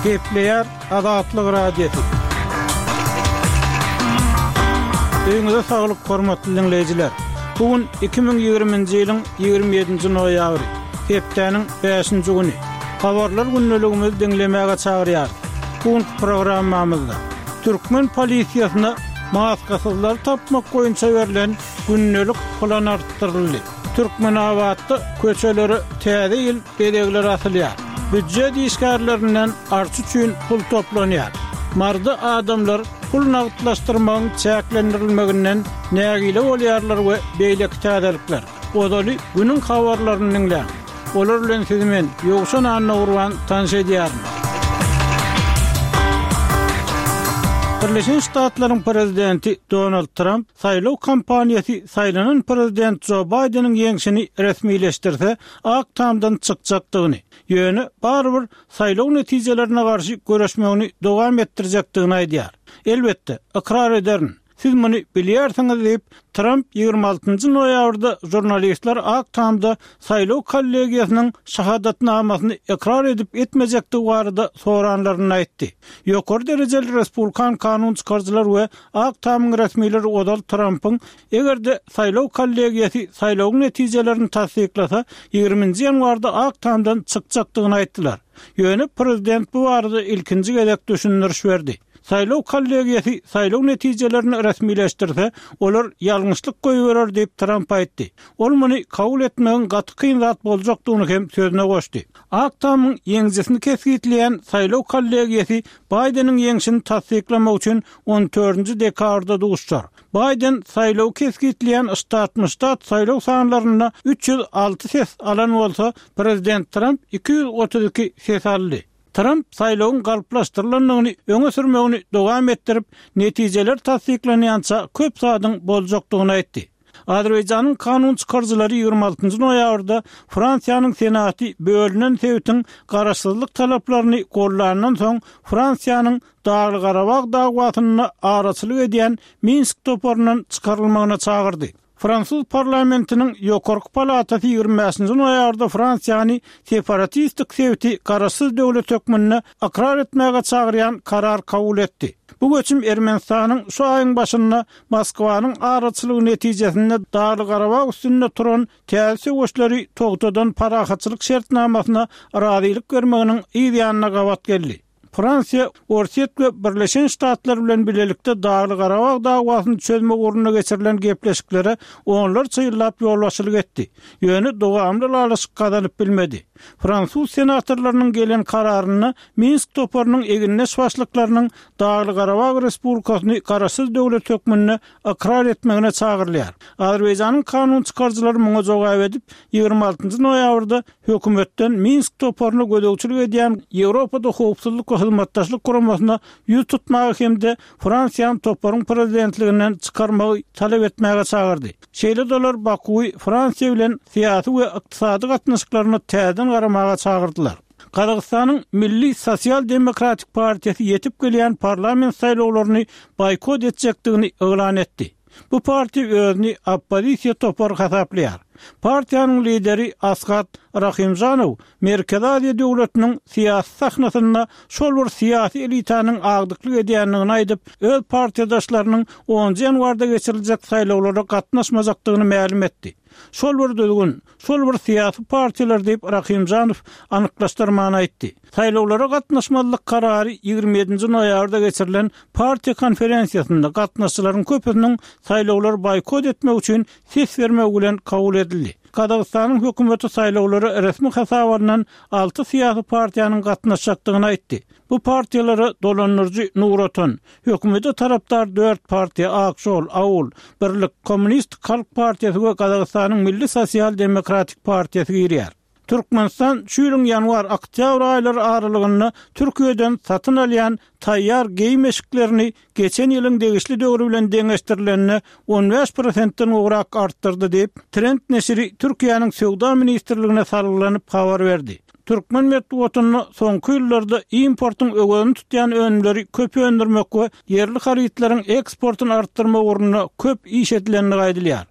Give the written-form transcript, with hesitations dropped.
Gepleýär Azatlyk Radiosy. Öýüňize saglyk, hormatly diňleýjiler! Bu gün 2020-nji ýylyň 27-nji noýabry, hepdäniň bäşinji güni. Habarlar gündeligimizi diňlemäge çagyrýarys. Bu günki programmamyzda türkmen polisiýasyna maskasyzlary tapmak boýunça berlen gündelik plan artdyryldy. Türkmenabatda köçelere täze ýyl bezegleri asylýar. Býujet işgärlerinden arça üçin pul toplanýar. Maryda adamlar pul nagtlaşdyrmagyň çäklendirilmeginden nägile bolýarlar we beýleki täzelikler. Ozaly günüň habarlaryny diňläň. Olar bilen sizi men, Ýowşan Annagurban tanyş edýärin. Birleşen Ştatlaryň prezidenti Donald Tramp saýlaw kampaniýasy saýlanan prezident Jo Baýdeniň ýeňşini resmileşdirse, Ak Tamdan çykjakdygyny, ýöne barybir saýlaw netijelerine garşy göreşmegini dowam etdirjekdigini aýdýar. Elbetde, ykrar ederin, siz muny bilýärsiňiz diýip, Tramp 26 noýabrda žurnalistler Ak Tamda saýlaw kollegiýasynyň şahadatnamasyny ykrar edip-etmejekdigi barada soranlarynda aýtdy. Ýokary derejeli respublikan kanun çykaryjylar we Ak Tamyň resmileri ozal Trampyň Eger-de saýlaw kollegiýasy saýlawyň netijelerini tassyklasa, ýigriminji ýanwarda Ak Tamdan çykjakdygyny aýtdylar. Ýöne prezident bu barada ilkinji gezek düşündiriş berdi. Saýlaw kollegiýasy saýlaw netijelerini resmileşdirse, olar ýalňyşlyk goýberer diýip, Tramp aýtdy. Ol muny kabul etmegiň gaty kyn zat boljakdygyny hem sözüne goşdy. Ak Tamyň ýeňijisini kesgitleýän saýlaw kollegiýasy Baýdeniň ýeňşini tassyklamak üçin on dördünji dekabrda duşuşar. Baýden saýlawy kesgitleýän ştatma-ştat saýlaw sanlarynda 306 ses alan bolsa, prezident Tramp 232 ses aldy. Tramp saýlawyň galplaşdyrylandygyny öňe sürmegini dowam etdirip, netijeler tassyklanýança köp zadyň boljakdygyny aýtdy. Azerbaýjanyň kanun çykaryjylary 26 noýabrda Fransiýanyň Senaty bölünen sebitiň garaşsyzlyk talaplaryny gollandan soň Fransiýanyň Dagly-Garabag dawasynda araçylyk edýän Minsk toparyndan çykarylmagyna çagyrdy. Fransuz parlamentiniň ýokarky palatasy 25-nji noýabrda Fransiýany separatistik sebiti garaşsyz döwlet hökmünde ykrar etmäge çagyrýan karar kabul etdi. Bu göçüm Ermenistanyň şu aýyň başynda Moskwanyň araçylygy netijesinde Dagly-Garabag üstünde turan täze söweşleri togtadan parahatçylyk şertnamasyna razylyk bermeginiň yz ýanyna gabat geldi. Fransiýa, Orsýet we Birleşen Ştatlar bilen bilelikde Dagly-Garabag dawasyny çözmek ugrunda geçirilen gepleşiklere onlarça ýyllap ýolbaşçylyk etdi, ýöne dowamly ylalaşyk gazanyp bilmedi. Fransuz senatorlarynyň gelen kararynda Minsk toparynyň egindeş başlyklarynyň Dagly-Garabag Respublikasyny garaşsyz döwlet hökmünde ykrar etmegine çagyrylýar. Azerbaýjanyň kanun çykaryjylary muňa jogap edip, 26 noýabrda hökümetden Minsk toparyna gözegçilik edýän Ýewropada Howpsuzlyk we Hyzmatdaşlyk Guramasyna ýüz tutmagy hem-de Fransiýany toparyň prezidentliginden çykarmagy talap etmäge çagyrdy. Şeýle-de olar Bakuwy Fransiýa bilen syýasy we ykdysady gatnaşyklaryna täzeden garamaga çagyrdylar. Gazagystanyň Milli sosial-demokratik partiýasy ýetip gelýän parlament saýlawlaryny boýkot etjekdigini yglan etdi. Bu partiýa özüni oppozisiýa topary hasaplaýar. Partiýanyň lideri Askat Rahimžanow Merkezi Aziýa döwletiniň syýasy sahnasynda şol bir syýasy elitanyň agdyklyk edýändigini aýdyp, öz partiýadaşlarynyň onunjy ýanwarda geçiriljek saýlawlara gatnaşmajakdygyny mälim etdi. Şol bir düzgün, şol bir syýasy partiýalar diýip, Rahimžanow anyklaşdyrman aýtdy. Saýlawlara gatnaşmazlyk karary 27-nji noýabrda geçirilen partiýa konferensiýasynda gatnaşyjylaryň köpüsiniň saýlawlary boýkot etmek üçin ses bermegi bilen kabul edildi. Gazagystanyň hökümeti saýlawlara resmi hasaba alnan alty syýasy partiýanyň gatnaşjakdygyny aýtdy. Bu partiýalara dolandyryjy Nur Otan, hökümete tarapdar dört partiýa Ak Žol, Aul, Birlik, Kommunistik halk partiýasy we Gazagystanyň Milli sosial-demokratik partiýasy girýär. Türkmenistan şu ýylyň ýanwar-oktýabr aýlary aralygynda Türkiýeden satyn alýan taýýar geýim-eşiklerini geçen ýylyň degişli döwri bilen deňeşdirilende 15 prosentden gowrak artdyrdy diýip, Trend neşiri Türkiýäniň Söwda ministrligine salgylanyp habar berdi. Türkmen metbugatynda soňky ýyllarda importyň öwezini tutýan önümleri köp öndürmek we ýerli harytlaryň eksportyny artdyrmak ugrunda köp iş edilendigi aýdylýar.